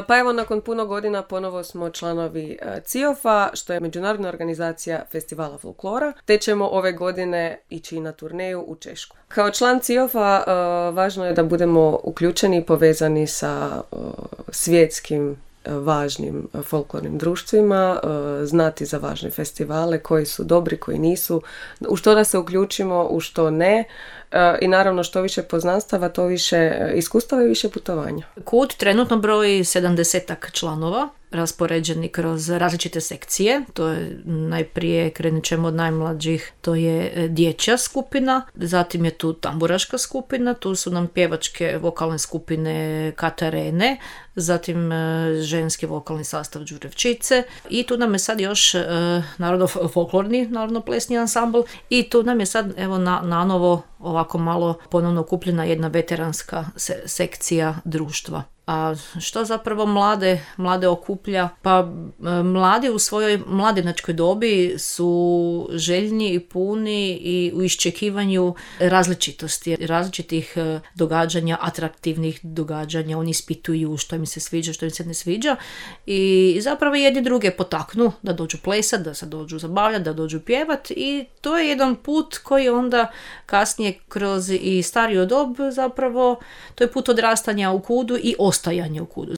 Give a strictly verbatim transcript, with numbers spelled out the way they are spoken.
Pa evo, nakon puno godina ponovo smo članovi C I O F-a, što je međunarodna organizacija festivala folklora, te ćemo ove godine ići na turneju u Češku. Kao član C I O F-a važno je da budemo uključeni i povezani sa svjetskim važnim folklornim društvima, znati za važne festivale, koji su dobri, koji nisu, u što da se uključimo, u što ne. I naravno, što više poznanstava, to više iskustava i više putovanja. Kud trenutno broji sedamdesetak članova, raspoređeni kroz različite sekcije. To je najprije, krenut ćemo od najmlađih, to je dječja skupina, zatim je tu tamburaška skupina, tu su nam pjevačke vokalne skupine Katarene, zatim ženski vokalni sastav Đurevčice i tu nam je sad još e, narodno-folklorni, narodno-plesni ansambl i tu nam je sad evo na, na novo ovako malo ponovno okupljena jedna veteranska se, sekcija društva. A što zapravo mlade, mlade okuplja? Pa mladi u svojoj mladenačkoj dobi su željni i puni i u iščekivanju različitosti, različitih događanja, atraktivnih događanja. Oni ispituju što im se sviđa, što im se ne sviđa i zapravo jedni druge potaknu da dođu plesat, da se dođu zabavljati, da dođu pjevat i to je jedan put koji onda kasnije kroz i stariju dob zapravo, to je put odrastanja u kudu i ostajanje u kudu.